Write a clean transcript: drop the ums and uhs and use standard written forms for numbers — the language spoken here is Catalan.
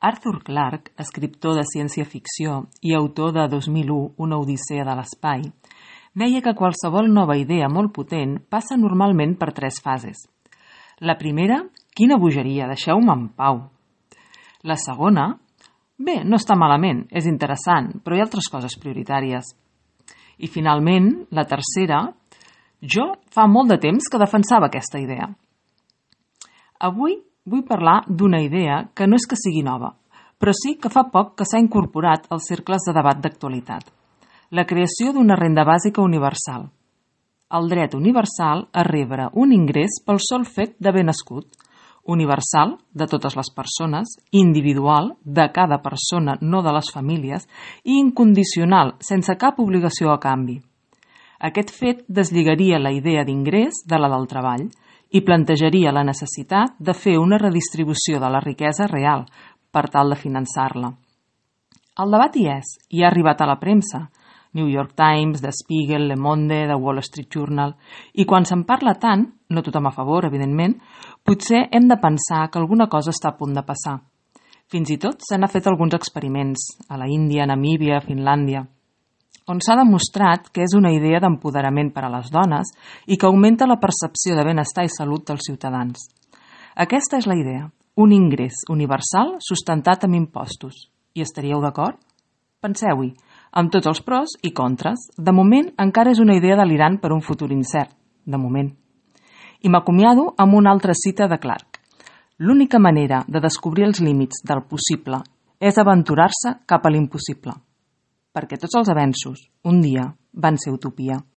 Arthur Clarke, escriptor de ciència-ficció i autor de 2001, Una odissea de l'espai, deia que qualsevol nova idea molt potent passa normalment per 3 fases. La primera, quina bogeria, deixeu-me en pau. La segona, bé, no està malament, és interessant, però hi ha altres coses prioritàries. I finalment, la tercera, jo fa molt de temps que defensava aquesta idea. Avui vull parlar d'una idea que no és que sigui nova, però sí que fa poc que s'ha incorporat als cercles de debat d'actualitat. La creació d'una renda bàsica universal. El dret universal a rebre un ingrés pel sol fet d'haver nascut. Universal, de totes les persones, individual, de cada persona, no de les famílies, i incondicional, sense cap obligació a canvi. Aquest fet deslligaria la idea d'ingrés de la del treball i plantejaria la necessitat de fer una redistribució de la riquesa real per tal de finançar-la. El debat hi és, i ha arribat a la premsa, New York Times, The Spiegel, Le Monde, The Wall Street Journal, i quan se'n parla tant, no tothom a favor, evidentment, potser hem de pensar que alguna cosa està a punt de passar. Fins i tot se n'ha fet alguns experiments, a la Índia, Namíbia, Finlàndia, on s'ha demostrat que és una idea d'empoderament per a les dones i que augmenta la percepció de benestar i salut dels ciutadans. Aquesta és la idea, un ingrés universal sustentat amb impostos. Hi estaríeu d'acord? Penseu-hi, amb tots els pros i contres. De moment encara és una idea delirant per un futur incert, de moment. I m'acomiado amb una altra cita de Clarke. L'única manera de descobrir els límits del possible és aventurar-se cap a l'impossible. Perquè tots els avenços, un dia, van ser utopia.